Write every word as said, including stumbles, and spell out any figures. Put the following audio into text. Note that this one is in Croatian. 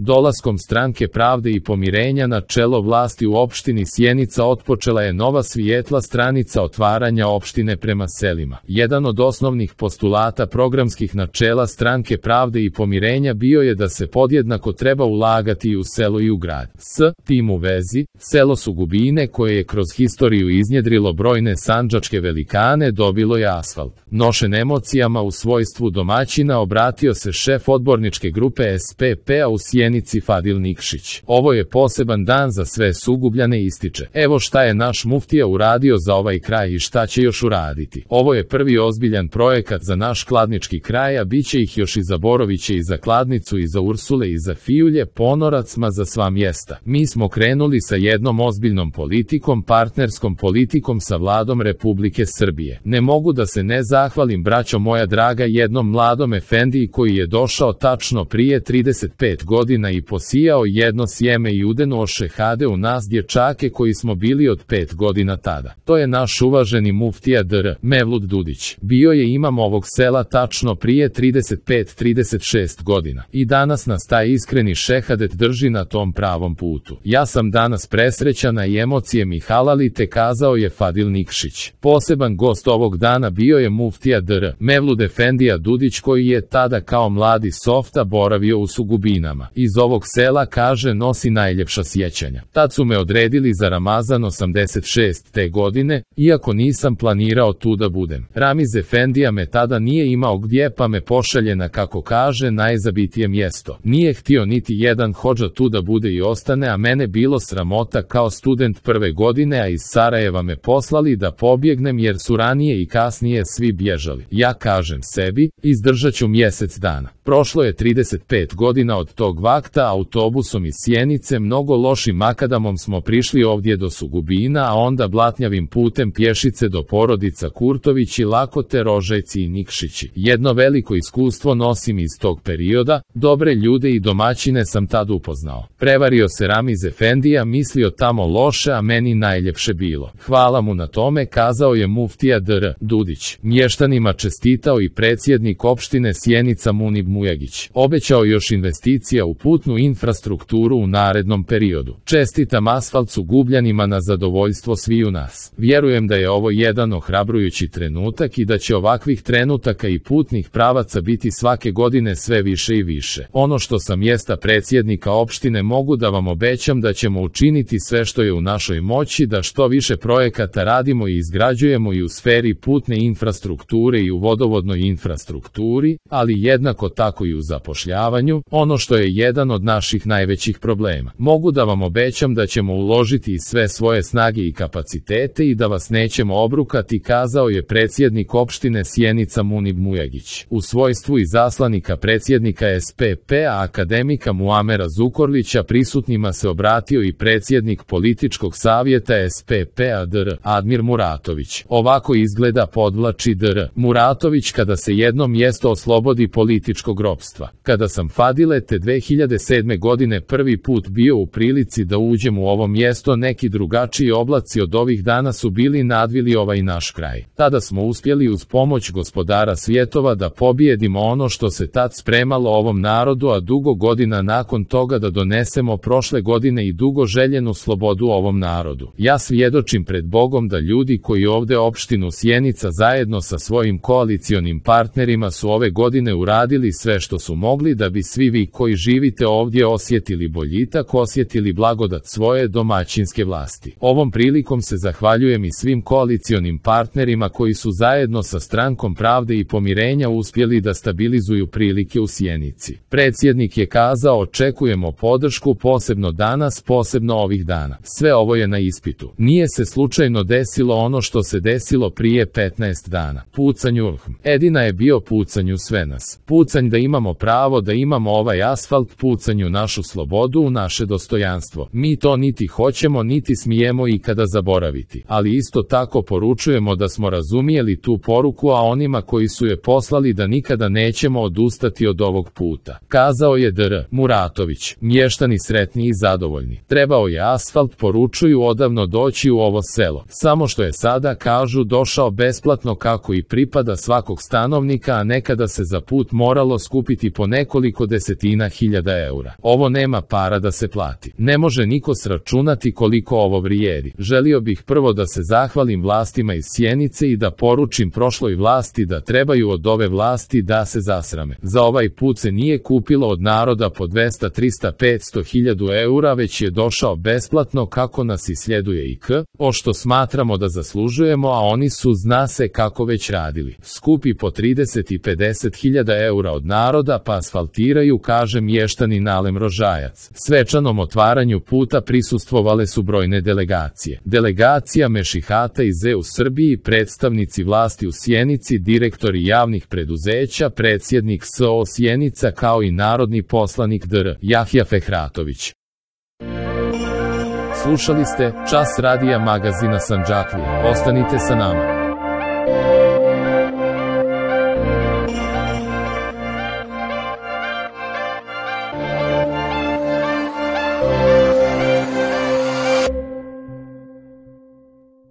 Dolaskom Stranke pravde i pomirenja na čelo vlasti u opštini Sjenica otpočela je nova svijetla stranica otvaranja opštine prema selima. Jedan od osnovnih postulata programskih načela Stranke pravde i pomirenja bio je da se podjednako treba ulagati i u selo i u grad. S tim u vezi, selo Sugubine, koje je kroz historiju iznjedrilo brojne sandžačke velikane, dobilo je asfalt. Nošen emocijama u svojstvu domaćina obratio se šef odborničke grupe S P P-a u Sjenici Fadil Nikšić. Ovo je poseban dan za sve Sugubljane, ističe. Evo šta je naš muftija uradio za ovaj kraj i šta će još uraditi. Ovo je prvi ozbiljan projekat za naš kladnički kraj, a bit će ih još i za Boroviće i za Kladnicu i za Ursule i za Fijulje, Ponorac, ma za sva mjesta. Mi smo krenuli sa jednom ozbiljnom politikom, partnerskom politikom sa vladom Republike Srbije. Ne mogu da se ne zahvalim, braćo moja draga, jednom mladom efendiji koji je došao tačno prije trideset pet godina i posijao jedno sjeme i udenuo šehade u nas dječake koji smo bili od pet godina tada. To je naš uvaženi muftija dr. Mevlut Dudić. Bio je imam ovog sela tačno prije trideset pet trideset šest godina. I danas nas taj iskreni šehadet drži na tom pravom putu. Ja sam danas presrećana i emocije mi halalite, kazao je Fadil Nikšić. Poseban gost ovog dana bio je muftija dr. Mevlut Efendija Dudić, koji je tada kao mladi softa boravio u Sugubinama. Iz ovog sela, kaže, nosi najljepša sjećanja. Tad su me odredili za Ramazan osamdeset šeste godine, iako nisam planirao tu da budem. Ramiz Efendija me tada nije imao gdje, pa me pošalje na, kako kaže, najzabitije mjesto. Nije htio niti jedan hodža tu da bude i ostane, a mene bilo sramota kao student prve godine, a iz Sarajeva me poslali da pobjegnem jer su ranije i kasnije svi bježali. Ja kažem sebi, izdržat ću mjesec dana. Prošlo je trideset pet godina od tog vakta, autobusom iz Sjenice mnogo lošim makadamom smo prišli ovdje do Sugubina, a onda blatnjavim putem pješice do porodica Kurtovići, Lakote, Rožajci i Nikšići. Jedno veliko iskustvo nosim iz tog perioda, dobre ljude i domaćine sam tad upoznao. Prevario se Ramiz Efendija, mislio tamo loše, a meni najljepše bilo. Hvala mu na tome, kazao je muftija dr. Dudić. Mještanima čestitao i predsjednik opštine Sjenica Munib Mujagić. Obećao još investicija u putnu infrastrukturu u narednom periodu. Čestitam asfalt Sugubljanima na zadovoljstvo sviju nas. Vjerujem da je ovo jedan ohrabrujući trenutak i da će ovakvih trenutaka i putnih pravaca biti svake godine sve više i više. Ono što sa mjesta predsjednika opštine mogu da vam obećam da ćemo učiniti sve što je u našoj moći da što više projekata radimo i izgrađujemo i u sferi putne infrastrukture i u vodovodnoj infrastrukturi, ali jednako tako i u zapošljavanju, ono što je jedan od naših najvećih problema. Mogu da vam obećam da ćemo uložiti i sve svoje snage i kapacitete i da vas nećemo obrukati, kazao je predsjednik opštine Sjenica Munib Mujagić. U svojstvu izaslanika predsjednika S P P-a akademika Muamera Zukorlića prisutnima se obratio i predsjednik političkog savjeta S P P-a dr. Admir Muratović. Ovako izgleda, podvlači dr. Muratović, kada se jedno mjesto oslobodi političkog ropstva. Kada sam, Fadile, te dve hiljade sedme godine prvi put bio u prilici da uđem u ovo mjesto, neki drugačiji oblaci od ovih dana su bili nadvili ovaj naš kraj. Tada smo uspjeli uz pomoć gospodara svjetova da pobijedimo ono što se tad spremalo ovom narodu, a dugo godina nakon toga da donesemo prošle godine i dugo željenu slobodu ovom narodu. Ja svjedočim pred Bogom da ljudi koji ovdje opštinu Sjenica zajedno sa svojim koalicionim partnerima su ove godine uradili sve što su mogli da bi svi vi koji živite ovdje osjetili boljitak, osjetili blagodat svoje domaćinske vlasti. Ovom prilikom se zahvaljujem i svim koalicionim partnerima koji su zajedno sa Strankom pravde i pomirenja uspjeli da stabilizuju prilike u Sjenici. Predsjednik je kazao, očekujemo podršku posebno danas, posebno ovih dana. Sve ovo je na ispitu. Nije se slučajno desilo ono što se desilo prije petnaest dana. Pucanj Ulhm. Edina je bio pucanj u sve nas. Pucanj da imamo pravo, da imamo ovaj asfalt, pucanj u našu slobodu, u naše dostojanstvo. Mi to niti hoćemo, niti smijemo ikada zaboraviti. Ali isto tako poručujemo da smo razumijeli tu poruku, a onima koji su je poslali da nikada nećemo odustati od ovog puta. Kazao je dr. Muratović. Mještani sretni i zadovoljni. Trebao je asfalt, poručuju, odavno doći u ovo selo. Samo što je sada, kažu, došao besplatno kako i pripada svakog stanovnika, a nekada se za put moralo skupiti po nekoliko desetina hiljada hiljada eura. Ovo nema para da se plati. Ne može niko sračunati koliko ovo vrijedi. Želio bih prvo da se zahvalim vlastima iz Sjenice i da poručim prošloj vlasti da trebaju od ove vlasti da se zasrame. Za ovaj put se nije kupilo od naroda po dvesta, trista, petsto hiljada eura, već je došao besplatno kako nas isljeduje i k, o što smatramo da zaslužujemo, a oni su zna se kako već radili. Skupi po trideset i pedeset hiljada eura od naroda pa asfaltiraju, kaže mještanin Alem Rožajac. Svečanom otvaranju puta prisustvovale su brojne delegacije. Delegacija Mešihata iz E u Srbiji, predstavnici vlasti u Sjenici, direktori javnih preduzeća, predsjednik S O Sjenica kao i narodni poslanik D R Jahja Fehratović. Slušali ste Čas radija magazina Sandžaklije. Ostanite sa nama.